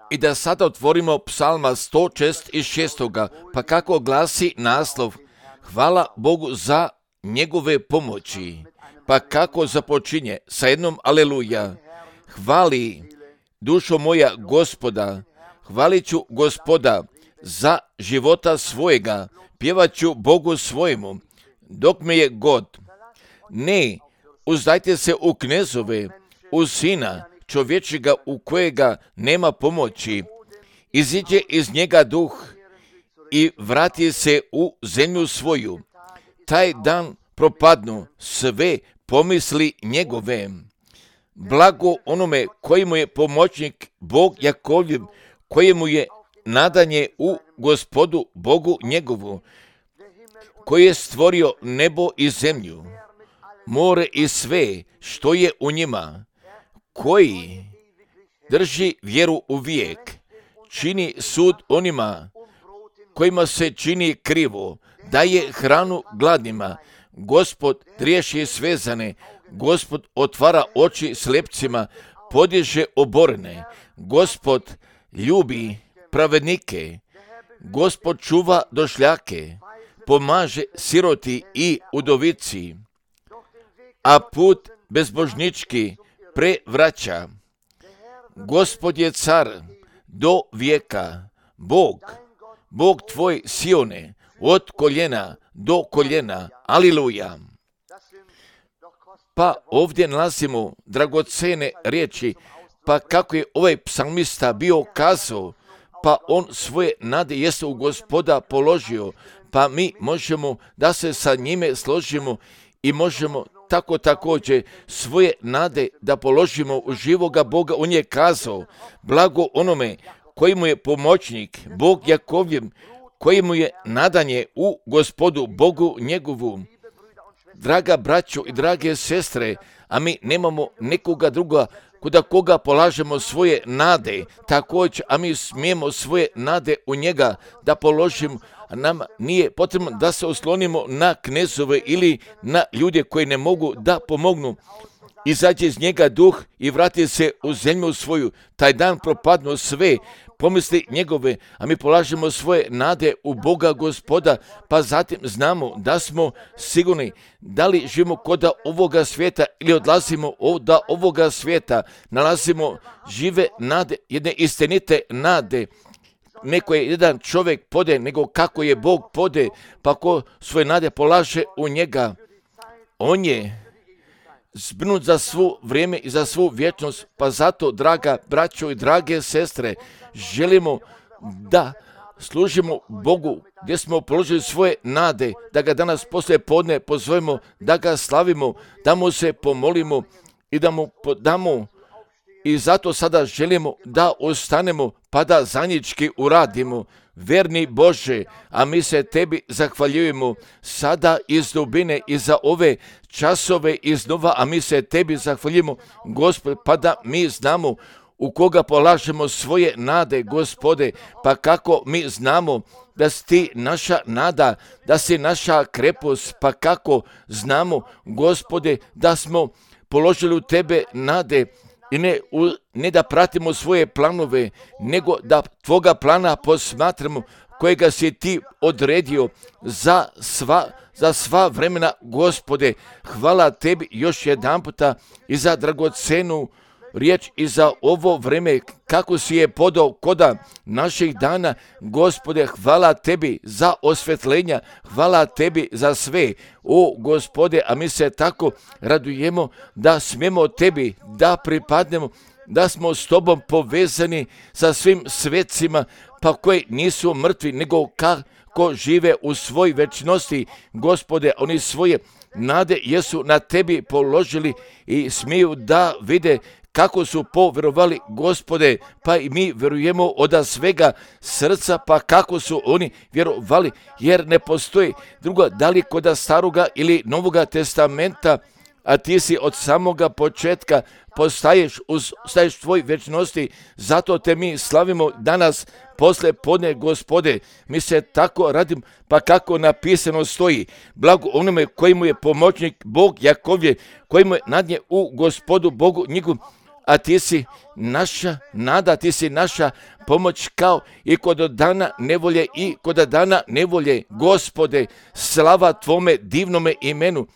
I da sada otvorimo psalma 106. Pa kako glasi naslov: Hvala Bogu za njegove pomoći. Pa kako započinje sa jednom aleluja. Hvali dušo moja Gospoda, hvalit ću Gospoda za života svojega, pjevat ću Bogu svojemu, dok me je god. Ne, uzdajte se u knezove, u sina čovječega u kojega nema pomoći. Iziđe iz njega duh i vrati se u zemlju svoju. Taj dan propadnu sve pomisli njegove. Blago onome koji mu je pomoćnik, Bog Jakovljev, kojemu je nadanje u Gospodu Bogu njegovu, koji je stvorio nebo i zemlju, more i sve što je u njima, koji drži vjeru u vijek, čini sud onima kojima se čini krivo, daje hranu gladnima. Gospod riješi svezane, Gospod otvara oči slepcima, podiže oborene. Gospod ljubi pravednike, Gospod čuva došljake, pomaže siroti i udovici, a put bezbožnički prevraća. Gospod je car do vijeka, Bog tvoj Sione, od koljena do koljena. Aliluja. Pa ovdje nalazimo dragocene riječi, pa kako je ovaj psalmista bio kazao, pa on svoje nade jeste u Gospoda položio, pa mi možemo da se sa njime složimo i možemo tako također svoje nade da položimo u živoga Boga. On je kazao, blago onome koji mu je pomoćnik, Bog Jakovljev, koji mu je nadanje u Gospodu Bogu njegovu. Draga braćo i drage sestre, a mi nemamo nekoga druga kuda koga polažemo svoje nade, također, a mi smijemo svoje nade u njega da položimo. Nam nije potrebno da se oslonimo na knezove ili na ljude koji ne mogu da pomognu. Izađe iz njega duh i vrati se u zemlju svoju. Taj dan propadnu sve pomisli njegove, a mi polažemo svoje nade u Boga Gospoda, pa zatim znamo da smo sigurni da li živimo kod ovoga svijeta ili odlazimo od ovoga svijeta. Nalazimo žive nade, jedne istinite nade. Neko je jedan čovjek pode, nego kako je Bog pode, pa ko svoje nade polaže u njega, on je zbrinut za svu vrijeme i za svu vječnost. Pa zato, draga braćo i drage sestre, želimo da služimo Bogu gdje smo položili svoje nade, da ga danas poslije podne pozovemo, da ga slavimo, da mu se pomolimo i da mu damo. I zato sada želimo da ostanemo pa da zajednički uradimo. Verni Bože, a mi se tebi zahvaljujemo sada iz dubine i za ove časove iznova, a mi se tebi zahvaljujemo, Gospod, pa da mi znamo u koga polažemo svoje nade, Gospode, pa kako mi znamo da si ti naša nada, da si naša krepost, pa kako znamo, Gospode, da smo položili u tebe nade, i ne da pratimo svoje planove, nego da tvoga plana posmatramo, kojega si ti odredio za sva vremena, Gospode. Hvala tebi još jedan puta i za dragocenu riječ i za ovo vreme kako si je podao koda naših dana, Gospode. Hvala tebi za osvjetljenja, hvala tebi za sve, o Gospode, a mi se tako radujemo da smijemo tebi da pripadnemo, da smo s tobom povezani sa svim svecima, pa koji nisu mrtvi, nego kako žive u svoj večnosti, Gospode. Oni svoje nade jesu na tebi položili i smiju da vide kako su povjerovali, Gospode, pa i mi vjerujemo od svega srca, pa kako su oni vjerovali, jer ne postoji druga, da li kod staroga ili novoga testamenta, a ti si od samoga početka postaješ tvoj večnosti, zato te mi slavimo danas posle podne, Gospode. Mi se tako radimo, pa kako napisano stoji, blago onome koji mu je pomoćnik, Bog Jakovljev, koji mu je nadnje u Gospodu Bogu njegovu, a ti si naša nada, ti si naša pomoć kao i kod dana nevolje i kod dana nevolje. Gospode, slava Tvome divnome imenu.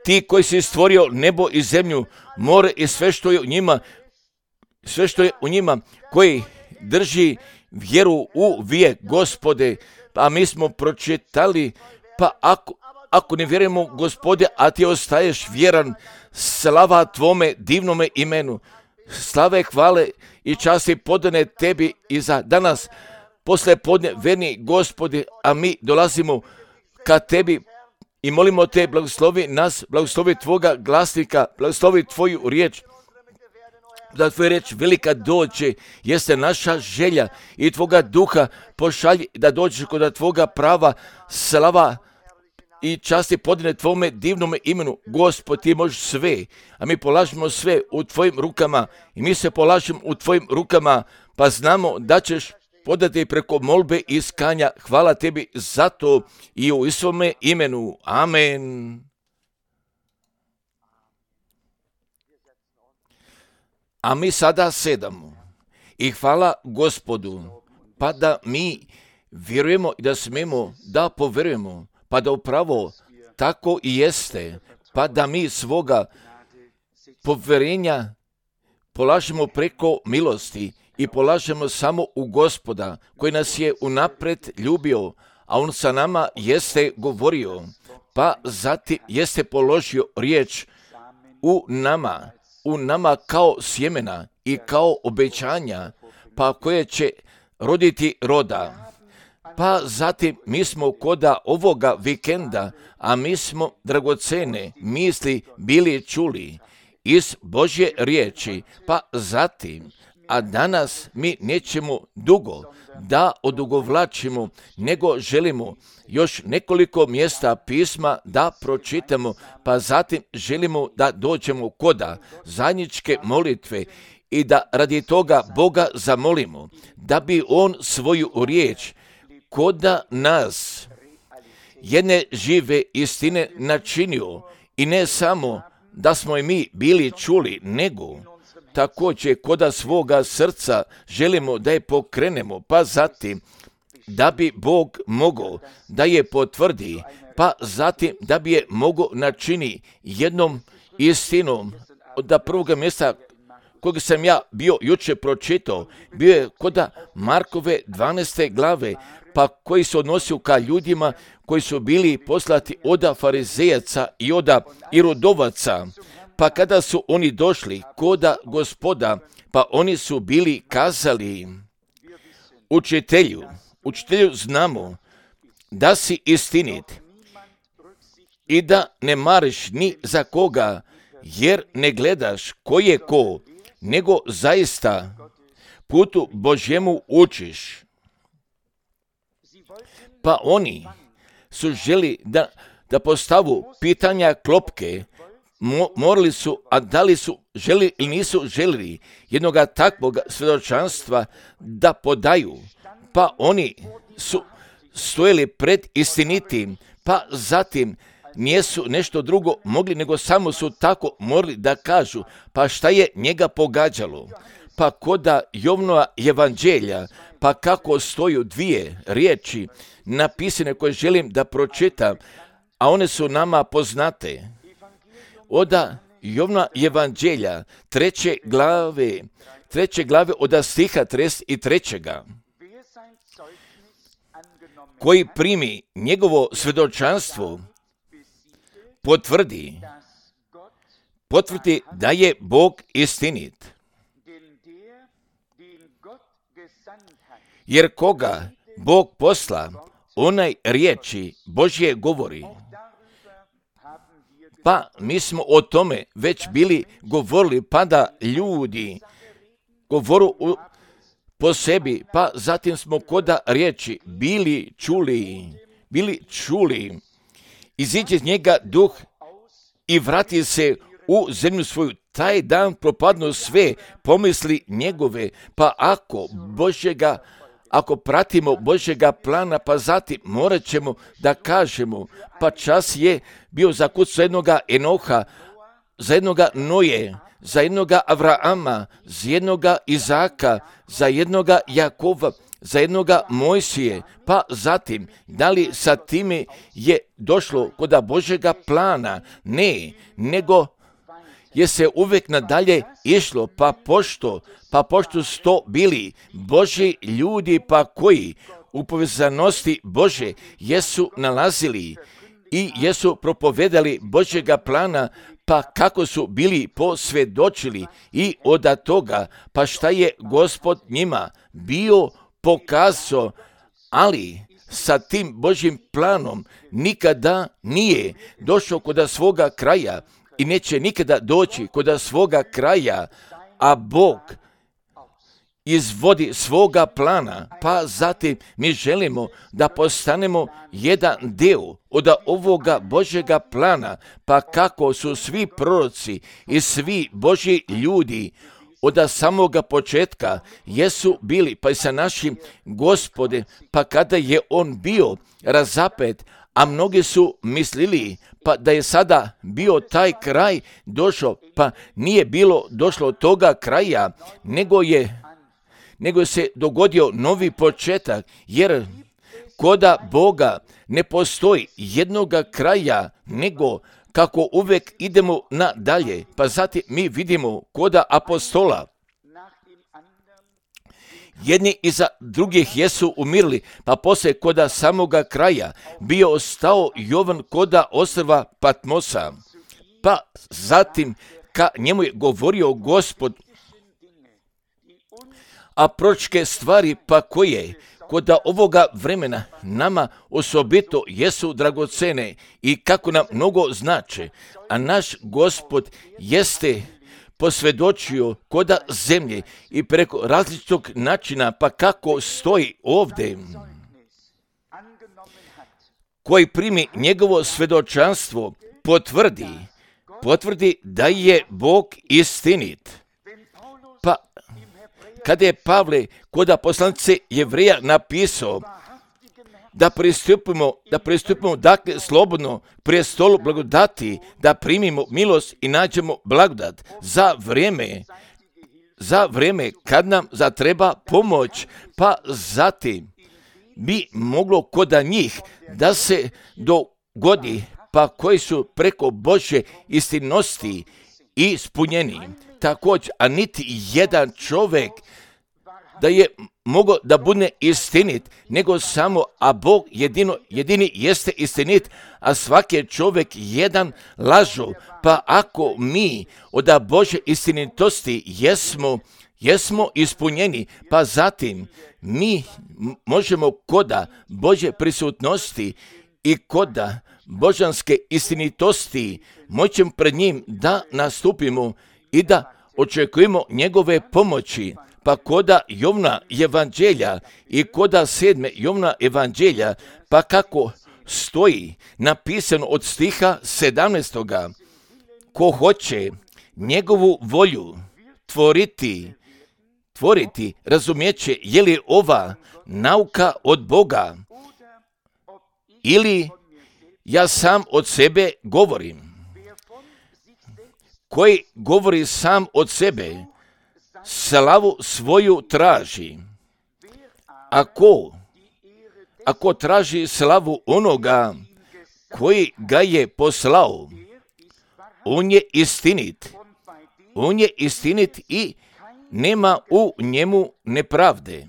Ti koji si stvorio nebo i zemlju, more i sve što je u njima, koji drži vjeru u vijek, Gospode. Pa mi smo pročitali, pa ako ne vjerujemo, Gospode, a ti ostaješ vjeran, slava Tvome divnome imenu. Slave, hvale i časti podane Tebi i za danas, posle podne, verni Gospode, a mi dolazimo ka Tebi i molimo Te, blagoslovi nas, blagoslovi Tvoga glasnika, blagoslovi Tvoju riječ, da Tvoja riječ velika dođe, jeste naša želja i Tvoga duha pošalji da dođeš kod Tvoga prava, slava i časti podane Tvome divnome imenu. Gospod, Ti možeš sve, a mi polažemo sve u Tvojim rukama i mi se polažemo u Tvojim rukama, pa znamo da ćeš podati preko molbe i iskanja. Hvala Tebi za to i u Isovome imenu. Amen. A mi sada sedamo i hvala Gospodu, pa da mi vjerujemo i da smemo da poverujemo, pa da upravo tako i jeste, pa da mi svoga poverenja polažemo preko milosti i polažemo samo u Gospoda, koji nas je unapred ljubio, a On sa nama jeste govorio, pa zatim jeste položio riječ u nama kao sjemena i kao obećanja, pa koje će roditi roda. Pa zatim mi smo koda ovoga vikenda, a mi smo dragocene misli bili čuli iz Božje riječi, pa zatim, a danas mi nećemo dugo da odugovlačimo, nego želimo još nekoliko mjesta pisma da pročitamo, pa zatim želimo da dođemo koda zajedničke molitve i da radi toga Boga zamolimo, da bi On svoju riječ koda nas jedne žive istine načinio i ne samo da smo i mi bili čuli, nego također koda svoga srca želimo da je pokrenemo, pa zatim da bi Bog mogao da je potvrdi, pa zatim da bi je mogao načini jednom istinom. Od prvoga mjesta kojeg sam ja bio jučer pročitao, bio je koda Markove 12. glave, pa koji se odnosio ka ljudima koji su bili poslati od farizejaca i od irodovaca. Pa kada su oni došli koda Gospoda, pa oni su bili kazali, učitelju, znamo da si istinit i da ne mariš ni za koga, jer ne gledaš ko je ko, nego zaista putu Božjemu učiš. Pa oni su želi da postavu pitanja klopke, morali su, a da li su želi ili nisu želili jednoga takvog svjedočanstva da podaju, pa oni su stojili pred istinitim, pa zatim nijesu nešto drugo mogli, nego samo su tako morali da kažu, pa šta je njega pogađalo. Pa koda Jovnova evanđelja, pa kako stoju dvije riječi napisane koje želim da pročitam, a one su nama poznate. Od Jovnova evanđelja, 3. glave od stiha 33. Koji primi njegovo svjedočanstvo, potvrdi da je Bog istinit. Jer koga Bog posla, onaj riječi Božje govori. Pa mi smo o tome već bili govorili, pa da ljudi govoru po sebi, pa zatim smo koda riječi bili čuli, iziđe iz njega duh i vrati se u zemlju svoju. Taj dan propadnu sve pomisli njegove, pa ako pratimo Božjega plana, pa zatim morat ćemo da kažemo, pa čas je bio zakucao jednoga Enoha, za jednoga Noje, za jednoga Avrama, za jednoga Izaka, za jednoga Jakova, za jednoga Mojsije, pa zatim, da li sa time je došlo kod Božjega plana? Ne, nego je se uvijek nadalje išlo, pa pošto su to bili Božji ljudi, pa koji u povezanosti Bože jesu nalazili i jesu propovedali Božjega plana, pa kako su bili posvjedočili i od toga, pa šta je Gospod njima bio pokazao, ali sa tim Božjim planom nikada nije došao kod svoga kraja i neće nikada doći kod svoga kraja, a Bog izvodi svoga plana, pa zatim mi želimo da postanemo jedan dio od ovoga Božjega plana, pa kako su svi proroci i svi Božji ljudi od samoga početka jesu bili, pa i sa našim Gospodem, pa kada je on bio razapet, a mnogi su mislili pa da je sada bio taj kraj došao, pa nije bilo došlo od toga kraja, nego se dogodio novi početak, jer koda Boga ne postoji jednoga kraja, nego kako uvijek idemo nadalje. Pa zatim mi vidimo koda apostola, jedni iza drugih jesu umirili, pa poslije koda samoga kraja bio ostao Jovan koda ostrva Patmosa, pa zatim ka njemu je govorio Gospod, a proročke stvari pa koje kod ovoga vremena nama osobito jesu dragocene i kako nam mnogo znače, a naš Gospod jeste posvjedočio koda zemlje i preko različitog načina, pa kako stoji ovdje, koji primi njegovo svjedočanstvo, potvrdi da je Bog istinit. Pa kada je Pavle koda poslanice Jevreja napisao da pristupimo dakle slobodno prijestolu blagodati, da primimo milost i nađemo blagodat za vrijeme kad nam zatreba pomoć, pa zatim bi moglo koda njih da se dogodi, pa koji su preko Božje istinosti ispunjeni. Također, a niti jedan čovjek da je mogao da bude istinit, nego samo, a Bog jedini jeste istinit, a svaki čovjek jedan lažu. Pa ako mi od Božje istinitosti jesmo ispunjeni, pa zatim mi možemo koda Božje prisutnosti i koda božanske istinitosti moćem pred njim da nastupimo i da očekujemo njegove pomoći. Pa koda Jovna evanđelja i koda 7. Jovna evanđelja, pa kako stoji napisano od stiha 17. Ko hoće njegovu volju tvoriti, razumijeće je li ova nauka od Boga ili ja sam od sebe govorim. Koji govori sam od sebe, slavu svoju traži. Ako traži slavu onoga koji ga je poslao, on je istinit i nema u njemu nepravde.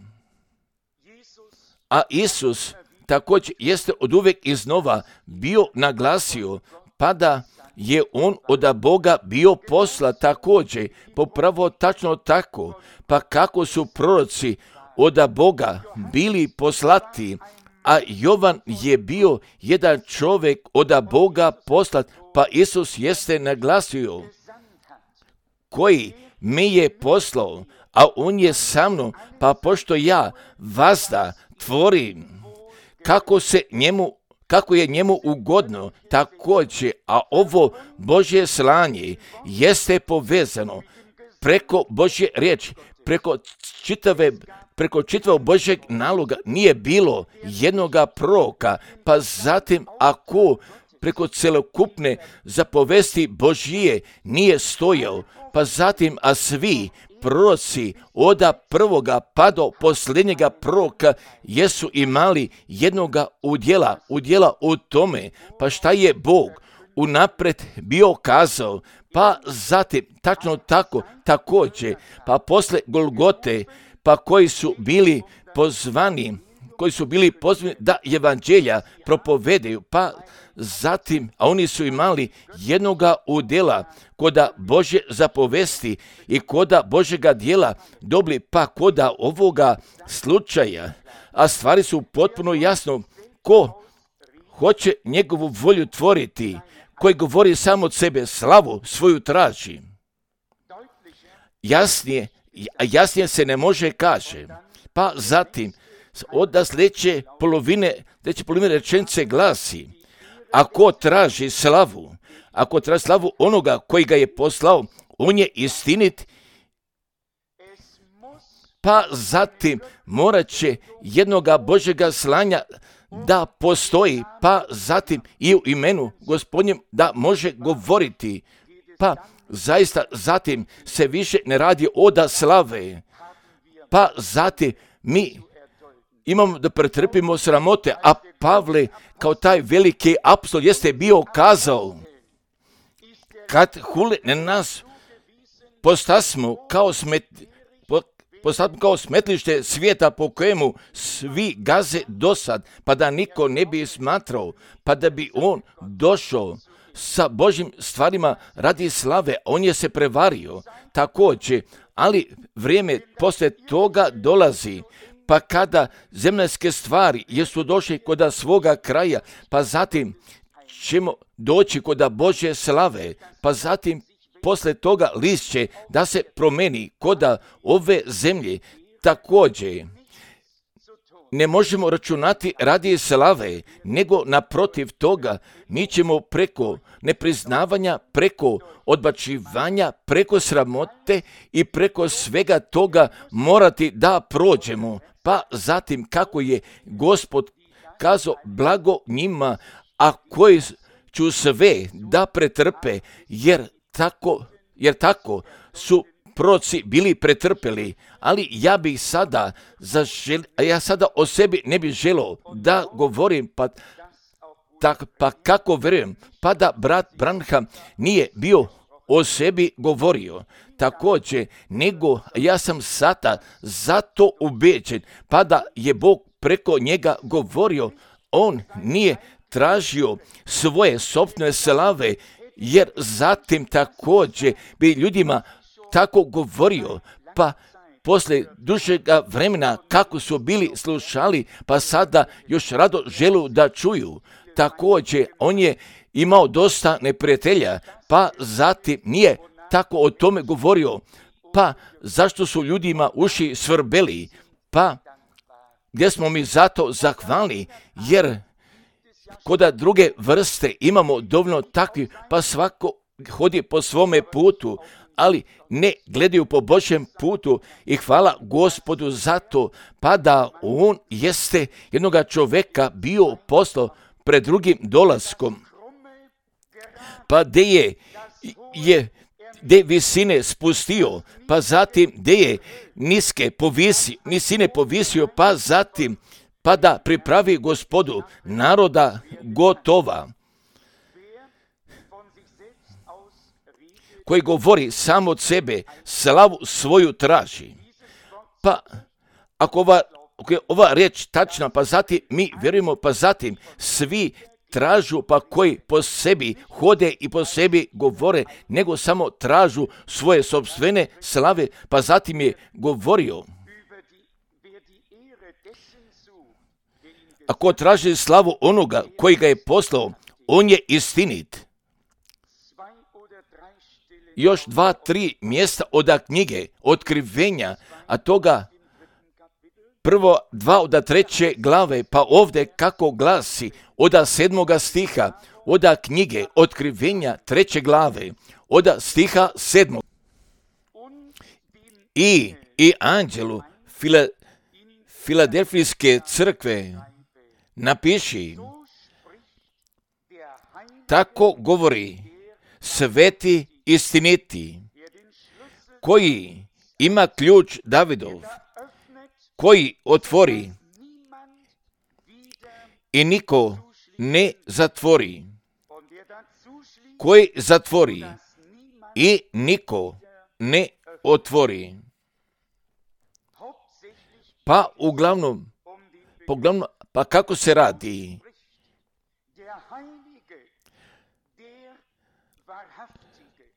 A Isus također jeste od uvijek iznova bio naglasio, pa da je on od Boga bio posla također, popravo tačno tako, pa kako su proroci od Boga bili poslati, a Jovan je bio jedan čovjek od Boga poslat, pa Isus jeste naglasio, koji me je poslao, a on je sa mnom, pa pošto ja vazda tvorim, kako je njemu ugodno, također, a ovo Božje slanje jeste povezano preko Božje riječi, preko čitavog Božjeg naloga nije bilo jednoga proroka, pa zatim ako preko celokupne zapovesti Božije nije stojao, pa zatim, a svi proroci od prvoga pa do posljednjega proroka jesu imali jednoga udjela u tome, pa šta je Bog unaprijed bio kazao, pa zatim tačno tako također, pa posle Golgote, pa koji su bili pozvani da evanđelja propovedaju, pa zatim, a oni su imali jednoga udjela koda Božje zapovesti i koda Božjega djela dobili, pa koda ovoga slučaja, a stvari su potpuno jasno, ko hoće njegovu volju tvoriti, koji govori samo od sebe, slavu svoju traži. Jasnije se ne može kaže. Pa zatim, od sljedeće polovine rečenice glasi, ako traži slavu onoga koji ga je poslao, on je istinit, pa zatim morat će jednoga Božjega slanja da postoji, pa zatim i u imenu Gospodnjem da može govoriti, pa zaista zatim se više ne radi od slave, pa zatim mi imamo da pretrpimo sramote, a Pavle kao taj veliki apostol jeste bio kazao, kad hule na nas postasmo kao smetlište svijeta po kojemu svi gaze dosad, pa da niko ne bi smatrao, pa da bi on došao sa Božjim stvarima radi slave, on je se prevario također, ali vrijeme poslije toga dolazi, pa kada zemaljske stvari jesu došli kod svoga kraja, pa zatim ćemo doći kod Božje slave, pa zatim posle toga list će da se promeni kod ove zemlje. Također, ne možemo računati radi slave, nego naprotiv toga mi ćemo preko nepriznavanja, preko odbacivanja, preko sramote i preko svega toga morati da prođemo. Pa zatim kako je Gospod kazao, blago njima, a koji ću sve da pretrpe, jer tako su proroci bili pretrpeli, ali ja bih sada o sebi ne bih želio da govorim, pa kako vjerujem, pa da brat Branham nije bio o sebi govorio, također, nego ja sam sada zato ubeđen, pa da je Bog preko njega govorio, on nije tražio svoje sopstvene slave, jer zatim također bi ljudima tako govorio, pa poslije dužega vremena kako su bili slušali, pa sada još rado želu da čuju. Također on je imao dosta neprijatelja, pa zatim nije tako o tome govorio, pa zašto su ljudima uši svrbeli, pa gdje smo mi zato zahvalni, jer kod druge vrste imamo dovoljno takvi, pa svako hodi po svome putu, ali ne gledaju po Božjem putu i hvala Gospodu za to, pa da on jeste jednoga čovjeka bio poslao pred drugim dolaskom, pa gdje je visine spustio, pa zatim gdje je nisine povisio, pa zatim pa da pripravi Gospodu naroda gotova, koji govori samo od sebe, slavu svoju traži. Pa ako je ova riječ tačna, pa zatim mi vjerujemo, pa zatim svi tražu, pa koji po sebi hode i po sebi govore, nego samo tražu svoje sopstvene slave, pa zatim je govorio, ako traži slavu onoga koji ga je poslao, on je istinit. Još 2-3 mjesta od knjige Otkrivenja, a toga prvo 2 od 3. glave, pa ovdje kako glasi od 7. stiha, od knjige Otkrivenja 3. glave, od stiha 7. I anđelu Filadelfijske crkve napiši, Tako govori sveti istiniti, koji ima ključ Davidov, koji otvori i niko ne zatvori, koji zatvori i niko ne otvori. Pa uglavnom, pa kako se radi?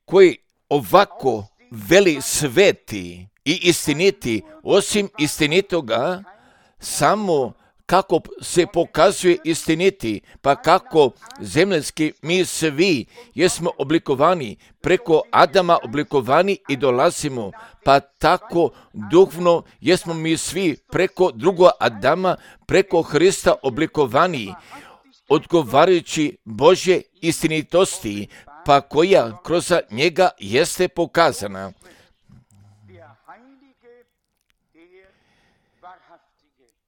Koji ovako veli sveti i istiniti, osim istinitoga, samo kako se pokazuje istiniti, pa kako zemljski mi svi jesmo oblikovani, preko Adama oblikovani i dolazimo, pa tako duhovno jesmo mi svi preko drugog Adama, preko Hrista oblikovani, odgovarajući Božje istinitosti, pa koja kroz njega jeste pokazana.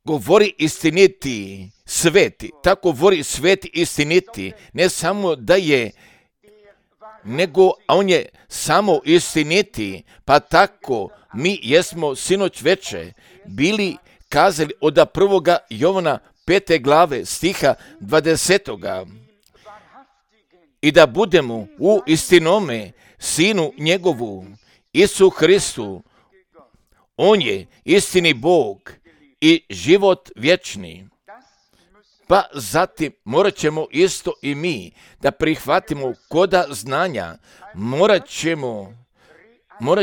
Govori istiniti, sveti, tako govori sveti istiniti, ne samo da je, nego on je samo istiniti, pa tako mi jesmo sinoć veče bili kazali od 1. Jovana 5. glave stiha 20. I da budemo u istinome Sinu njegovu, Isu Hristu, on je istini Bog i život vječni. Pa zatim morat ćemo isto i mi da prihvatimo koda znanja, morat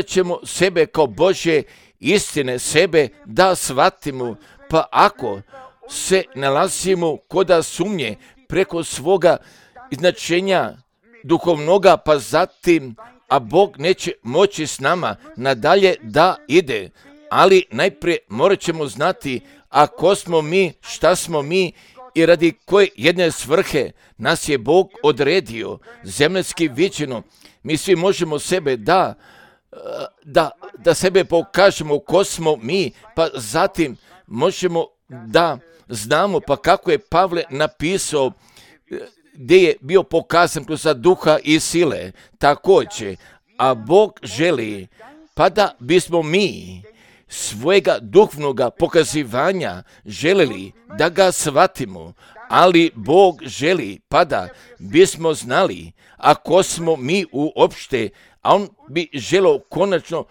ćemo sebe kao Božje istine, sebe da shvatimo, pa ako se nalazimo koda sumnje preko svoga značenja duhovnoga, pa zatim, a Bog neće moći s nama nadalje da ide, ali najprije morat ćemo znati, a ko smo mi, šta smo mi i radi koje jedne svrhe nas je Bog odredio, zemaljski viđeno. Mi svi možemo sebe da sebe pokažemo ko smo mi, pa zatim možemo da znamo, pa kako je Pavle napisao, gdje je bio pokazan kroz duha i sile, također, a Bog želi, pa da bismo mi svojega duhovnoga pokazivanja želeli da ga shvatimo, ali Bog želi, pa da bismo znali, ako smo mi uopšte, a on bi želio konačno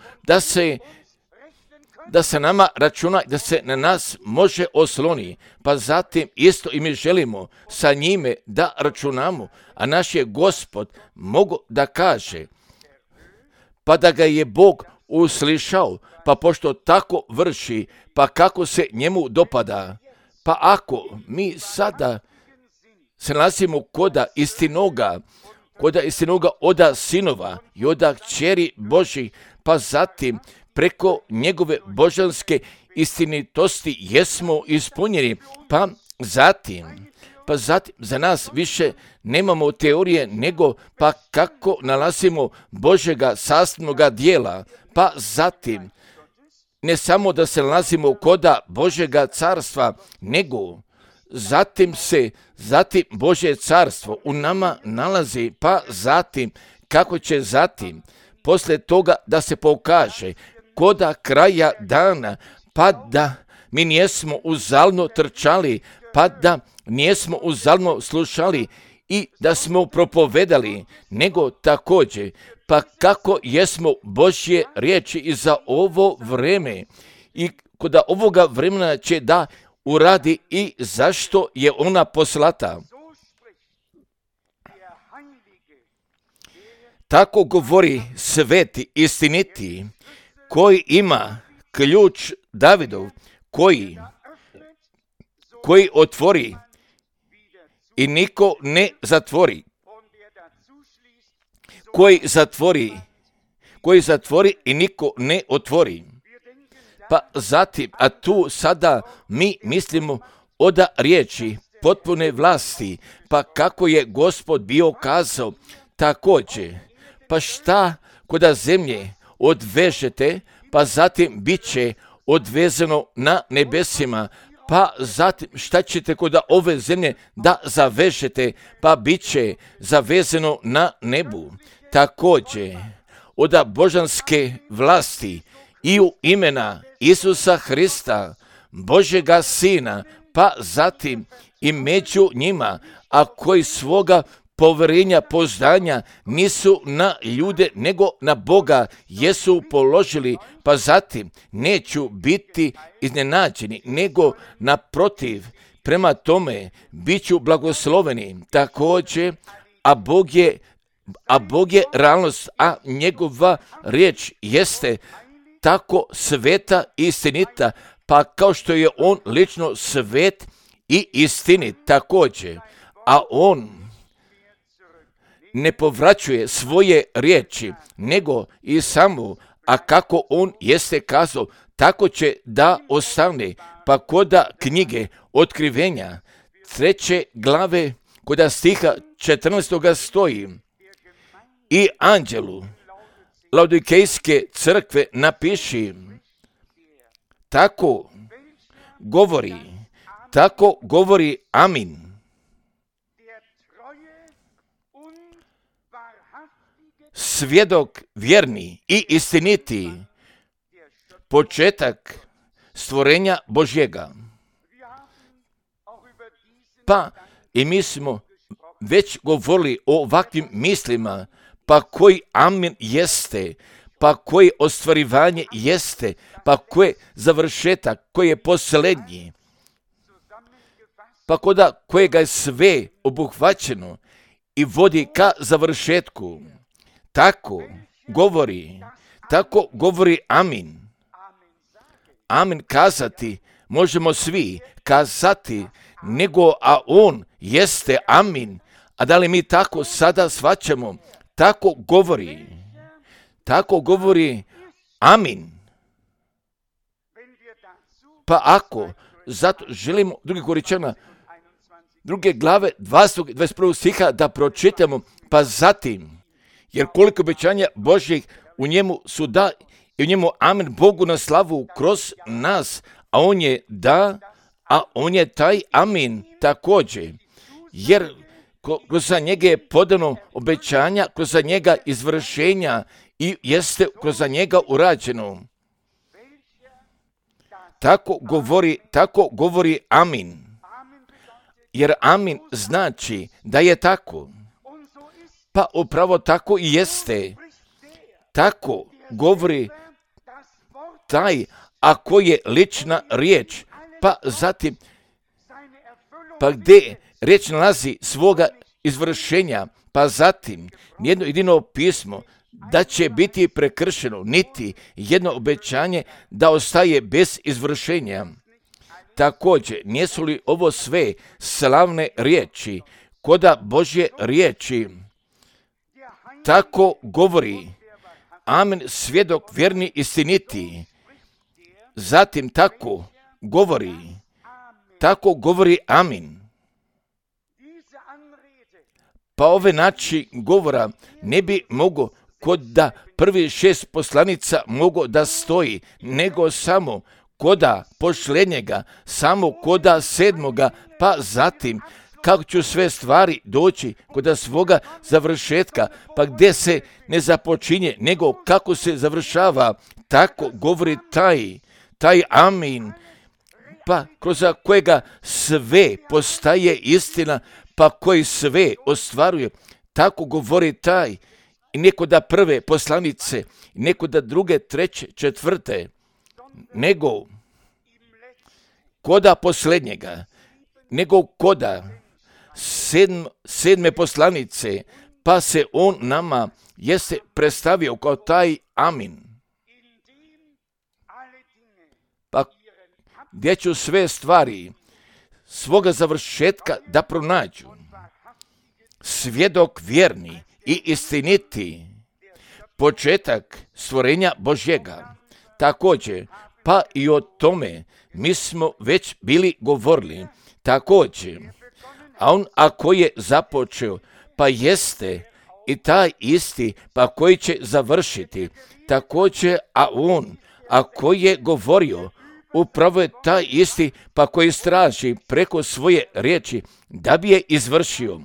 da se nama računa, da se na nas može osloni, pa zatim isto i mi želimo sa njime da računamo, a naš je Gospod mogu da kaže, pa da ga je Bog uslišao, pa pošto tako vrši, pa kako se njemu dopada, pa ako mi sada se nalazimo koda istinoga oda sinova i oda kćeri Božih, pa zatim preko njegove božanske istinitosti jesmo ispunjeni, pa zatim za nas više nemamo teorije, nego pa kako nalazimo Božjega sastavnoga dijela, pa zatim ne samo da se nalazimo koda Božjega carstva, nego zatim Božje carstvo u nama nalazi, pa zatim kako će zatim poslije toga da se pokaže koda kraja dana, pa da mi nijesmo uzalno trčali, pa da nijesmo uzalno slušali i da smo propovedali, nego također, pa kako jesmo Božje riječi i za ovo vreme i koda ovoga vremena će da uradi i zašto je ona poslata. Tako govori sveti istiniti, koji ima ključ Davidov, koji otvori i niko ne zatvori, koji zatvori i niko ne otvori. Pa zatim, a tu sada mi mislimo od riječi potpune vlasti, pa kako je Gospod bio kazao također, pa šta koda zemlje odvežete, pa zatim bit će odvezeno na nebesima, pa zatim šta ćete kod ove zemlje da zavežete, pa bit će zavezano na nebu. Također, od božanske vlasti i u imena Isusa Hrista, Božega Sina, pa zatim i među njima, a koji svoga povjerenja, poznanja nisu na ljude nego na Boga jesu položili, pa zatim neću biti iznenađeni, nego naprotiv, prema tome bit ću blagosloveni. Također, a Bog je realnost, a njegova riječ jeste tako sveta i istinita, pa kao što je on lično svet i istinit također, a on ne povraćuje svoje riječi, nego i samo, a kako on jeste kazao, tako će da ostane. Pa koda knjige Otkrivenja, 3. glave, koda stiha 14. stoji, i anđelu Laodikejske crkve napiši, tako govori Amin. Svjedok vjerni i istiniti, početak stvorenja Božjega. Pa i mi smo već govorili o ovakvim mislima, pa koji amin jeste, pa koji ostvarivanje jeste, pa koji završetak, koji je posljednji, pa koda kojega je sve obuhvaćeno i vodi ka završetku. Tako govori amin. Amin kazati možemo svi kazati, nego a on jeste amin. A da li mi tako sada shvaćamo? Tako govori amin. Pa ako, zato želimo drugi Koričana, druge glave 20. 21. stiha da pročitamo, pa zatim, jer koliko obećanja Božjih u njemu su da i u njemu amen Bogu na slavu kroz nas, a on je da, a on je taj amin također, jer kroz njega je podano obećanja, kroz njega izvršenja i jeste kroz njega urađeno. Tako govori amin, jer amin znači da je tako. Pa upravo tako i jeste. Tako govori taj, ako je lična riječ, pa zatim, pa gdje riječ nalazi svoga izvršenja, pa zatim nijedno jedino pismo da će biti prekršeno, niti jedno obećanje da ostaje bez izvršenja. Također, nisu li ovo sve slavne riječi, koda Božje riječi? Tako govori amen, svjedok vjerni istiniti. Zatim tako govori amin. Pa ove način govora ne bi mogo kod da prvi 6 poslanica mogo da stoji, nego samo koda pošljenjega, samo koda 7. pa zatim kako ću sve stvari doći kod svoga završetka, pa gdje se ne započinje, nego kako se završava, tako govori taj amin, pa kroz kojega sve postaje istina, pa koji sve ostvaruje, tako govori taj, i neko da prve poslanice, neko da druge, treće, četvrte, nego koda posljednjega, nego koda 7. poslanice, pa se on nama jeste predstavio kao taj amin. Pa gdje ću sve stvari svoga završetka da pronađu? Svjedok vjerni i istiniti, početak stvorenja Božjega. Također, pa i o tome mi smo već bili govorili. Također, a on ako je započeo, pa jeste i taj isti, pa koji će završiti. Također, a on ako je govorio upravo je taj isti pa koji straži preko svoje riječi da bi je izvršio.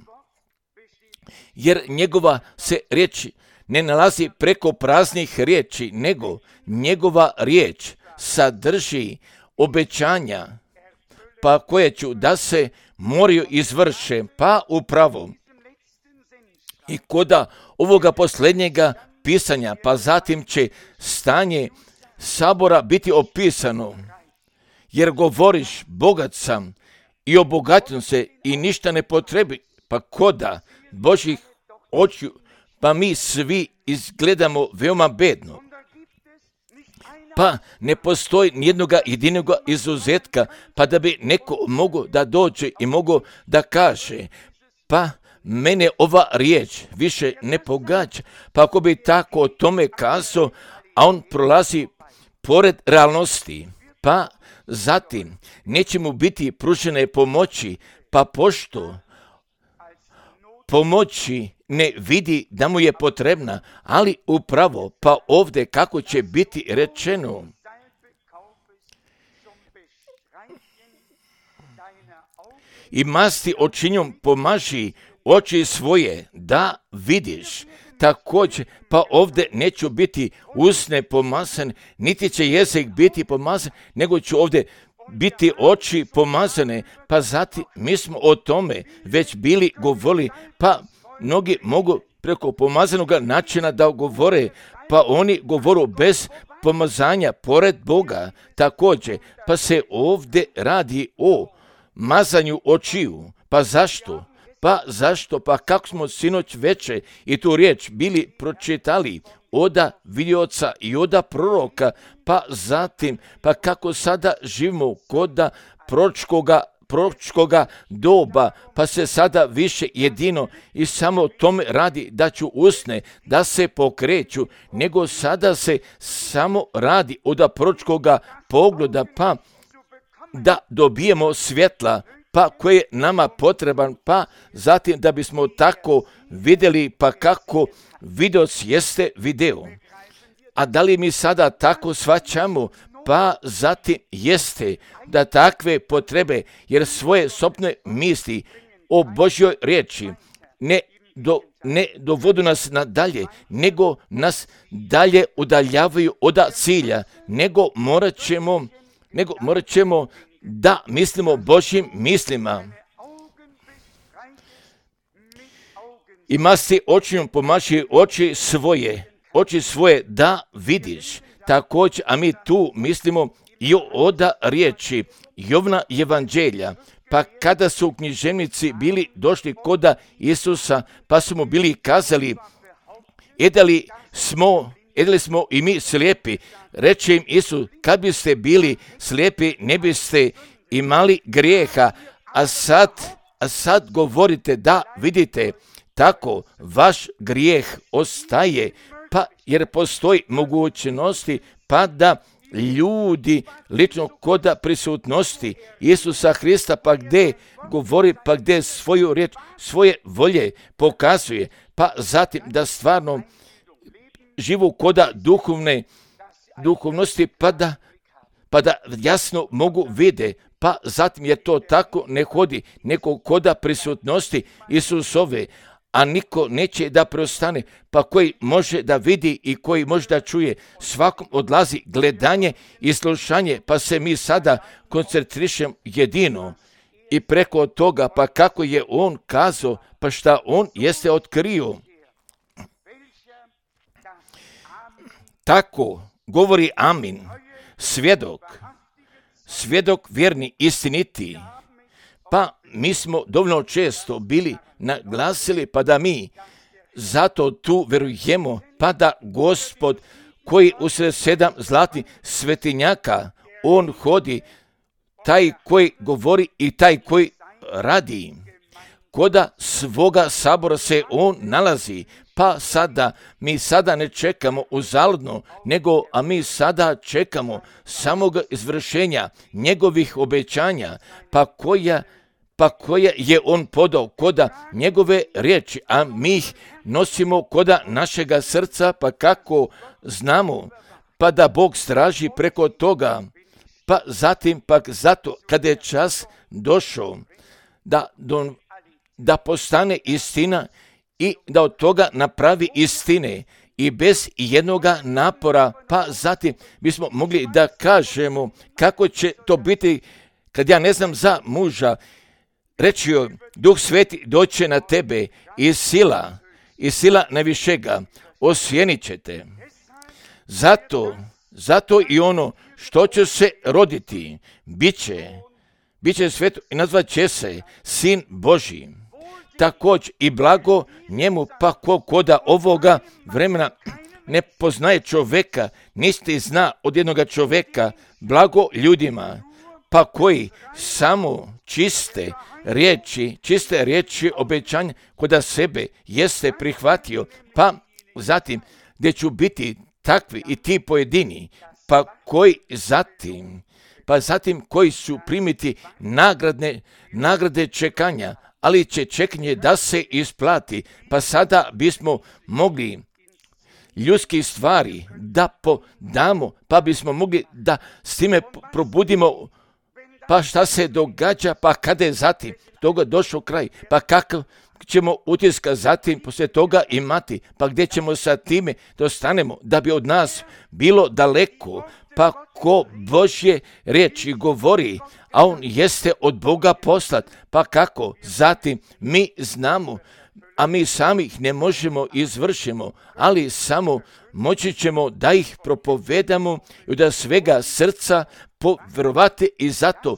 Jer njegova se riječ ne nalazi preko praznih riječi, nego njegova riječ sadrži obećanja pa koje ću da se moraju izvrše, pa upravo i koda ovoga posljednjega pisanja, pa zatim će stanje sabora biti opisano, jer govoriš bogat sam i obogatim se i ništa ne potrebi, pa koda Božih očiju, pa mi svi izgledamo veoma bedno. Pa ne postoji nijednoga jedinoga izuzetka, pa da bi neko mogao da dođe i mogao da kaže, pa mene ova riječ više ne pogađa, pa ako bi tako o tome kazao, a on prolazi pored realnosti, pa zatim neće mu biti pružene pomoći, pa pošto pomoći ne vidi da mu je potrebna, ali upravo pa ovdje kako će biti rečeno. I masti očinjom pomaži oči svoje da vidiš. Također, pa ovdje neću biti usne pomazan, niti će jezik biti pomazan, nego ću ovdje biti oči pomazane, pa zatim mi smo o tome već bili govorili, pa mnogi mogu preko pomazanog načina da govore, pa oni govoru bez pomazanja pored Boga. Također, pa se ovdje radi o mazanju očiju. Pa zašto? Pa kako smo sinoć veče i tu riječ bili pročitali oda vidioca i oda proroka, pa zatim, pa kako sada živimo koda proročkoga doba, pa se sada više jedino i samo tome radi da ću usne, da se pokreću, nego sada se samo radi oda proročkoga pogleda, pa da dobijemo svjetla, pa koji je nama potreban, pa zatim da bismo tako vidjeli, pa kako videoc jeste video. A da li mi sada tako shvaćamo? Pa zatim jeste da takve potrebe, jer svoje sopne misli o Božjoj riječi ne dovodu nas nadalje, nego nas dalje udaljavaju od cilja, nego morat ćemo da mislimo Božjim mislima. I masti očiju pomaži oči svoje da vidiš. Također, a mi tu mislimo i oda riječi Jovna evanđelja. Pa kada su književnici bili došli koda Isusa, pa su mu bili kazali, jedali smo i mi slijepi. Reče im Isus, kad biste bili slijepi, ne biste imali grijeha, a sad govorite da vidite, tako vaš grijeh ostaje, pa jer postoji mogućnosti, pa da ljudi lično koda prisutnosti Isusa Hrista, pa gdje govori, pa gdje svoju riječ, svoje volje pokazuje, pa zatim da stvarno živu koda duhovnosti, pa da jasno mogu vide, pa zatim je to tako ne hodi neko koda prisutnosti Isusove, a niko neće da preostane, pa koji može da vidi i koji može da čuje, svakom odlazi gledanje i slušanje, pa se mi sada koncentrišemo jedino i preko toga, pa kako je on kazao, pa šta on jeste otkrio. Tako govori Amin, svjedok vjerni, istiniti. Pa mi smo dovoljno često bili naglasili, pa da mi zato tu verujemo, pa da Gospod koji usred 7 zlatnih svetinjaka, on hodi, taj koji govori i taj koji radi. Koda svoga sabora se on nalazi, pa mi sada ne čekamo uzaludno, a mi sada čekamo samog izvršenja njegovih obećanja, pa koja je on podao koda njegove riječi, a mi ih nosimo koda našega srca, pa kako znamo, pa da Bog straži preko toga, pa zatim pak zato kada je čas došao da postane istina i da od toga napravi istine i bez jednoga napora, pa zatim bismo mogli da kažemo kako će to biti kad ja ne znam za muža. Reći joj, Duh Sveti doće na tebe i sila najvišega osjenit će te. Zato i ono što će se roditi, bit će sveto i nazvat će se Sin Božji. Također i blago njemu, pa koda ovoga vremena ne poznaje čoveka, niti zna od jednoga čoveka, blago ljudima, pa koji samo čiste riječi obećanja koda sebe jeste prihvatio, pa zatim gdje ću biti takvi i ti pojedini, pa zatim koji su primiti nagrade čekanja, ali će čekanje da se isplati, pa sada bismo mogli ljudskih stvari da podamo, pa bismo mogli da s time probudimo, pa šta se događa, pa kada je zatim toga došao kraj, pa kakav ćemo utiska zatim poslije toga imati, pa gdje ćemo sa time da ostanemo, da bi od nas bilo daleko, pa ko Božje riječi govori, a on jeste od Boga poslat, pa kako zatim mi znamo, a mi sami ih ne možemo izvršimo, ali samo moći ćemo da ih propovedamo i da svega srca povjerovati i zato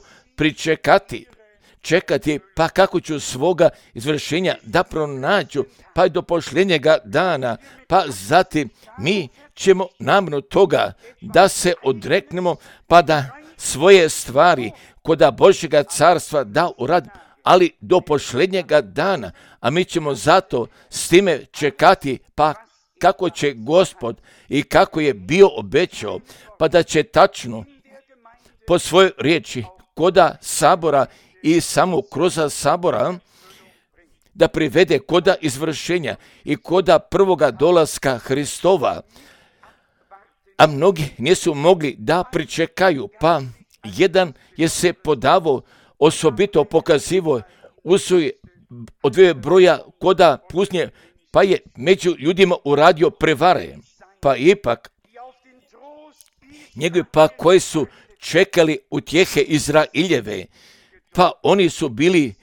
čekati, pa kako ću svoga izvršenja da pronađu, pa i do posljednjega dana, pa zatim mi ćemo namno toga da se odreknemo, pa da svoje stvari koda Božjega carstva da uradimo, ali do posljednjega dana, a mi ćemo zato s time čekati, pa kako će Gospod i kako je bio obećao, pa da će tačno po svojoj riječi koda sabora i samo kroz sabora da privede koda izvršenja i koda prvoga dolaska Hristova. A mnogi nisu mogli da pričekaju, pa jedan je se podavo osobito pokazivo usuje od dvije broja koda pusnje, pa je među ljudima uradio prevare, pa ipak njegovi pa koji su čekali utjehe Izraeljeve, pa oni su bili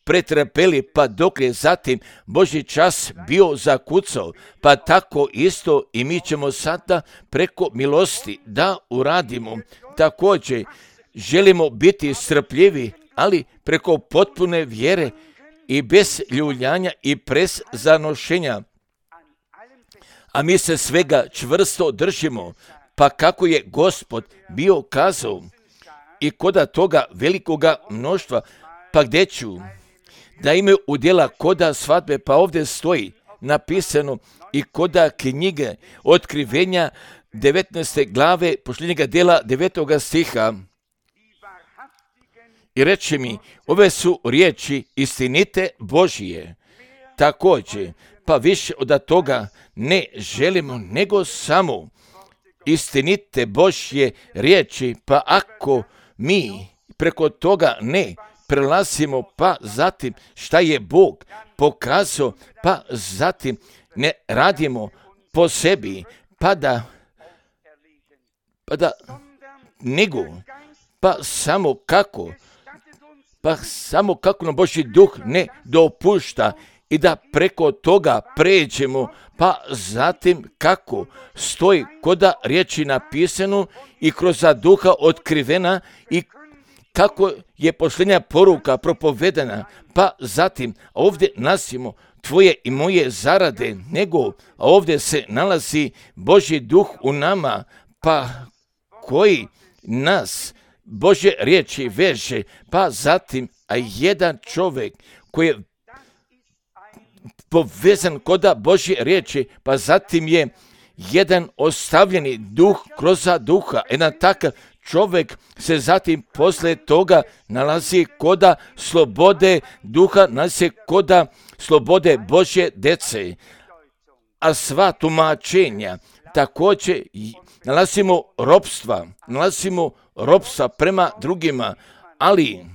pretrpeli, pa dok je zatim Božji čas bio zakucao, pa tako isto i mi ćemo sada preko milosti da uradimo. Također želimo biti strpljivi, ali preko potpune vjere i bez ljuljanja i bez zanošenja. A mi se svega čvrsto držimo, pa kako je Gospod bio kazao i koda toga velikoga mnoštva, pa gdje ću da imaju udjela koda svadbe, pa ovdje stoji napisano i koda knjige Otkrivenja 19. glave posljednjega dijela 9. stiha. I reče mi, ove su riječi istinite Božije. Također, pa više od toga ne želimo, nego samo istinite Božje riječi, pa ako mi preko toga ne prelazimo, pa zatim šta je Bog pokazao, pa zatim ne radimo po sebi, pa da nego, pa samo kako nam Božji duh ne dopušta i da preko toga pređemo, pa zatim kako stoji koda riječi napisano i kroz duha otkrivena i kako je posljednja poruka propovedena, pa zatim ovdje nasimo tvoje i moje zarade, nego ovdje se nalazi Božji duh u nama, pa koji nas Božje riječi veže, pa zatim jedan čovjek koji je povezan koda Božje riječi, pa zatim je jedan ostavljeni duh kroz duha. Jedan takav čovjek se zatim poslije toga nalazi koda slobode duha, nalazi koda slobode Božje djece. A sva tumačenja također nalazimo ropstva prema drugima, ali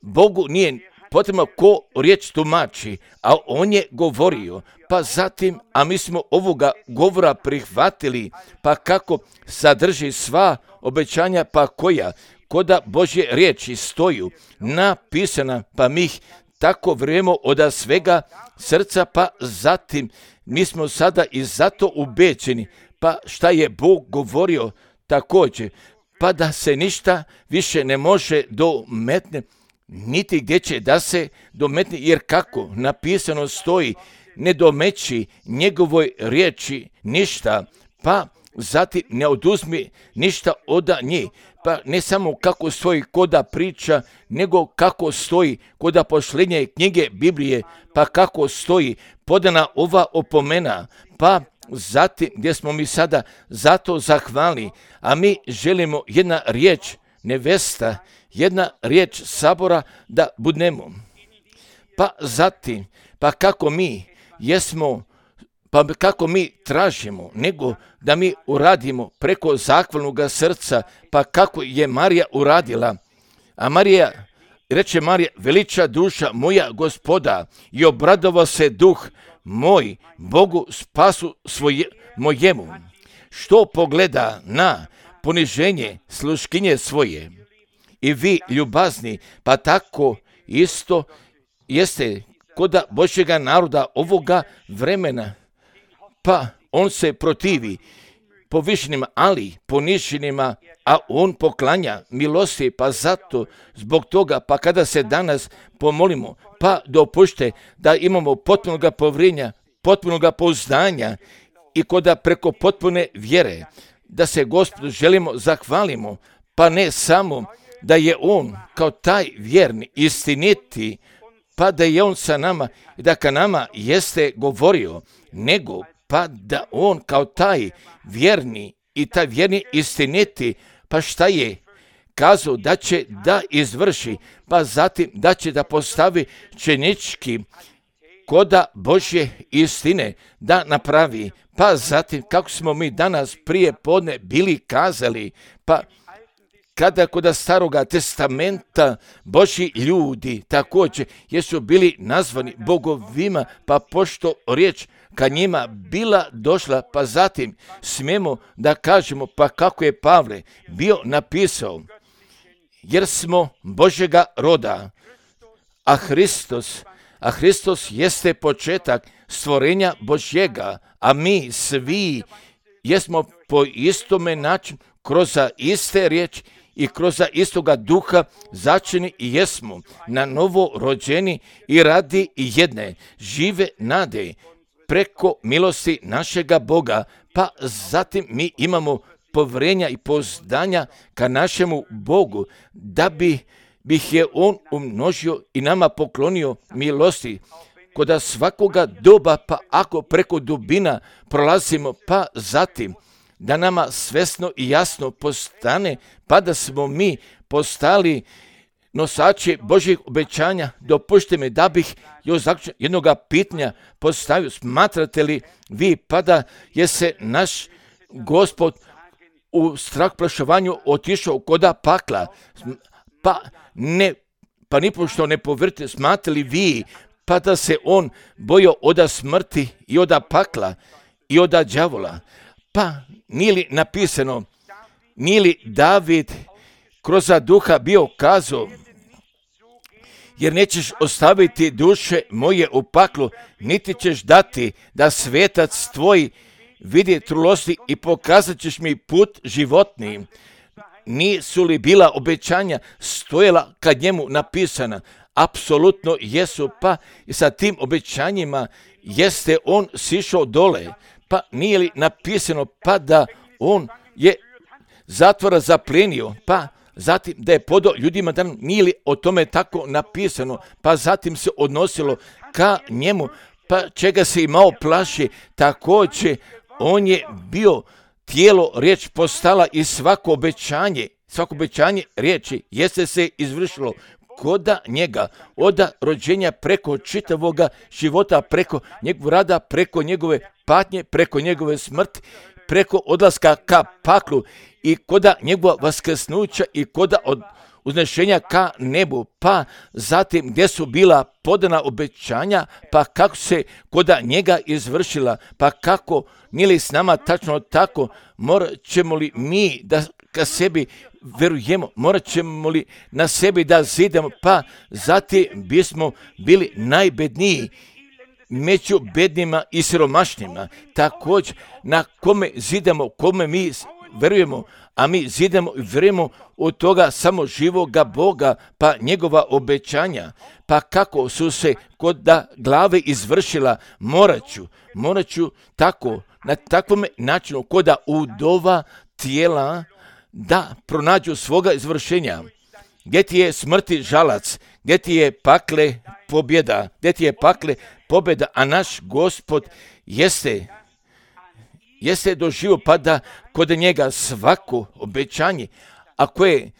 Bogu nije potrebno ko riječ tumači, a on je govorio, pa zatim, a mi smo ovoga govora prihvatili, pa kako sadrži sva obećanja, pa koja koda Božje riječi stoju napisana, pa mi ih tako vrijemo od svega srca, pa zatim mi smo sada i zato ubeđeni, pa šta je Bog govorio također, pa da se ništa više ne može dometne, niti gdje će da se dometne, jer kako napisano stoji, ne domeći njegovoj riječi ništa, pa zatim ne oduzmi ništa od njih. Pa ne samo kako stoji koda priča, nego kako stoji koda posljednje knjige Biblije, pa kako stoji podana ova opomena, pa zatim gdje smo mi sada zato zahvalni, a mi želimo jedna riječ nevesta, jedna riječ sabora da budemo. Pa zatim, pa kako mi jesmo, pa kako mi tražimo, nego da mi uradimo preko zahvalnog srca, pa kako je Marija uradila. A reče Marija, veliča duša moja Gospoda i obradovao se duh moj Bogu spasu mojemu, što pogleda na poniženje sluškinje svoje. I vi, ljubazni, pa tako isto jeste koda Božjega naroda ovoga vremena, pa on se protivi povišenima, ali poniženima, a on poklanja milosti, pa zato zbog toga, pa kada se danas pomolimo, pa dopušte da imamo potpunoga povjerenja, potpunoga pouzdanja i koda preko potpune vjere, da se Gospodu želimo zahvalimo, pa ne samo da je on kao taj vjerni, istiniti, pa da je on sa nama i da ka nama jeste govorio, nego pa da on kao taj vjerni i taj vjerni istiniti, pa šta je kazao da će da izvrši, pa zatim da će da postavi činički koda Božje istine da napravi, pa zatim kako smo mi danas prije podne bili kazali, pa kada kod Staroga testamenta Božji ljudi također jesu bili nazvani bogovima, pa pošto riječ ka njima bila došla, pa zatim smijemo da kažemo, pa kako je Pavle bio napisao, jer smo Božjega roda, a Hristos jeste početak stvorenja Božjega, a mi svi jesmo po istome načinu, kroz iste riječi i kroz istoga duha začini i jesmo na novo rođeni i radi jedne žive nade preko milosti našega Boga, pa zatim mi imamo povjerenja i pouzdanja ka našemu Bogu, da bih je on umnožio i nama poklonio milosti koda svakoga doba, pa ako preko dubina prolazimo, pa zatim da nama svesno i jasno postane, pa da smo mi postali nosači Božjih obećanja. Dopušte mi da bih još zaključno jednoga pitanja postavio. Smatrate li vi pa da je se naš Gospod u strahplašovanju otišao koda pakla? Pa nipošto ne povjerite, smatrate li vi pa da se on bojao od smrti i od pakla i od đavola? Pa nije li napisano, nije li David kroz duha bio kazao, jer nećeš ostaviti duše moje u paklu, niti ćeš dati da svetac tvoj vidi trulosti i pokazat ćeš mi put životni. Nisu li bila obećanja stojala kad njemu napisana? Apsolutno jesu, pa i sa tim obećanjima jeste on sišao dole. Pa nije li napisano pa da on je zatvora zaplenio, pa zatim da je podao ljudima, da nije li o tome tako napisano, pa zatim se odnosilo ka njemu, pa čega se imao plaši, također on je bio tijelo, riječ postala i svako obećanje riječi jeste se izvršilo koda njega, od rođenja preko čitavoga života, preko njegovog rada, preko njegove patnje, preko njegove smrti, preko odlaska ka paklu i koda njegova vaskrsnuća i koda od uznešenja ka nebu, pa zatim gdje su bila podana obećanja, pa kako se koda njega izvršila, pa kako nije li s nama tačno tako, morat ćemo li mi da ka sebi verujemo, morat ćemo li na sebi da zidemo, pa zatim bismo bili najbedniji među bednima i siromašnima. Također na kome zidemo, kome mi verujemo, a mi zidemo i verujemo od toga samo živoga Boga, pa njegova obećanja, pa kako su se kod da glave izvršila, morat ću tako, na takvom načinu, kod da udova tijela da pronađu svoga izvršenja. Gdje ti je smrti žalac, gdje ti je pakle pobjeda, gdje ti je pakle pobjeda, a naš Gospod jeste doživio, pa da kod njega svako obećanje, ako je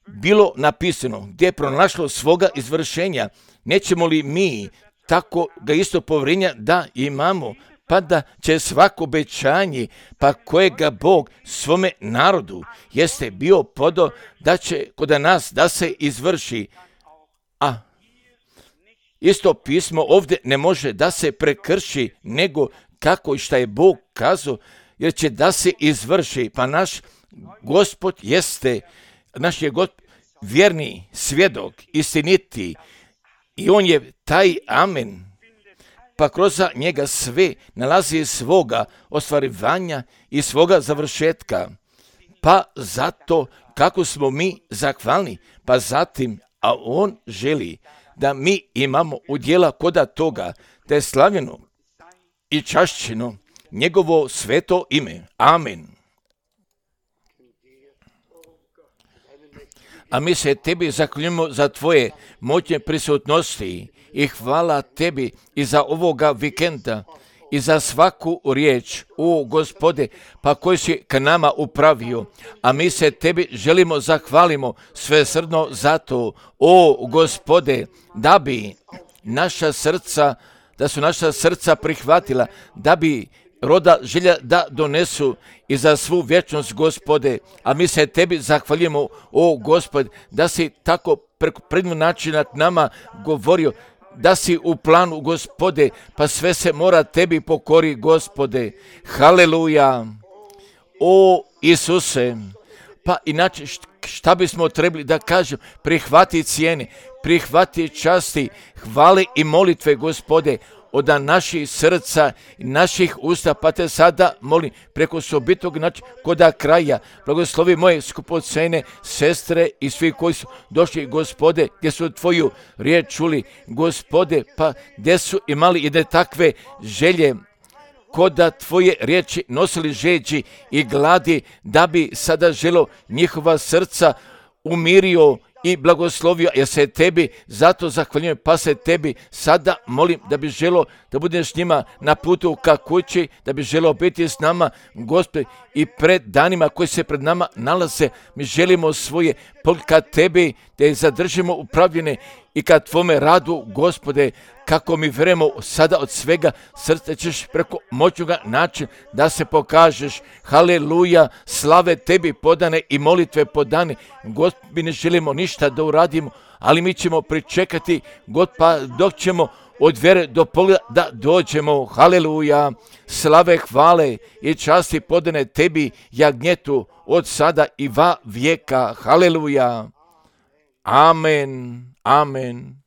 bilo napisano, gdje je pronašlo svoga izvršenja, nećemo li mi tako ga isto povjerenja da imamo, pa da će svako obećanje, pa kojega Bog svome narodu jeste bio podao, da će kod nas da se izvrši. A isto pismo ovdje ne može da se prekrši, nego kako i šta je Bog kazao, jer će da se izvrši, pa naš Gospod jeste, naš je Gospod vjerni svjedok, istiniti, i on je taj amen, pa kroz njega sve nalazi svoga ostvarivanja i svoga završetka, pa zato kako smo mi zahvalni, pa zatim, a on želi da mi imamo udjela koda toga, da je slavljeno i čašćeno njegovo sveto ime. Amen. A mi se tebi zahvaljujemo za tvoje moćne prisutnosti i hvala tebi i za ovoga vikenda i za svaku riječ, o Gospode, pa koji si k nama upravio. A mi se tebi želimo zahvalimo svesrdno za to, o Gospode, da bi da su naša srca prihvatila, da bi roda želja da donesu i za svu vječnost, Gospode. A mi se tebi zahvaljujemo, o Gospode, da si tako preko prednog načina k nama govorio, da si u planu, Gospode, pa sve se mora tebi pokori, Gospode. Haleluja. O Isuse, pa inače šta bismo trebali da kažemo? Prihvati cijene, prihvati časti, hvale i molitve, Gospode, od naših srca i naših usta, pa te sada molim preko sobitog načina koda kraja. Blagoslovi moje skupocene sestre i svi koji su došli, Gospode, gdje su tvoju riječ čuli, Gospode, pa gdje su imali jedne takve želje, koda tvoje riječi nosili žeđi i gladi, da bi sada želo njihova srca umirio i blagoslovio, jer se tebi zato zahvaljujem, pa se tebi sada molim da bi želo da budeš s njima na putu ka kući, da bi želo biti s nama, Gospode, i pred danima koji se pred nama nalaze. Mi želimo svoje ka tebi, da ih zadržimo upravljene i ka tvome radu, Gospode, kako mi vjerujemo sada od svega srca ćeš preko moćnoga načina da se pokažeš. Haleluja, slave tebi podane i molitve podane. Gospod, mi ne želimo ništa da uradimo, ali mi ćemo pričekati, God, pa dok ćemo od vjere do pogleda da dođemo. Haleluja, slave, hvale i časti podane tebi, jagnjetu, od sada i va vijeka. Haleluja. Amen. Amen.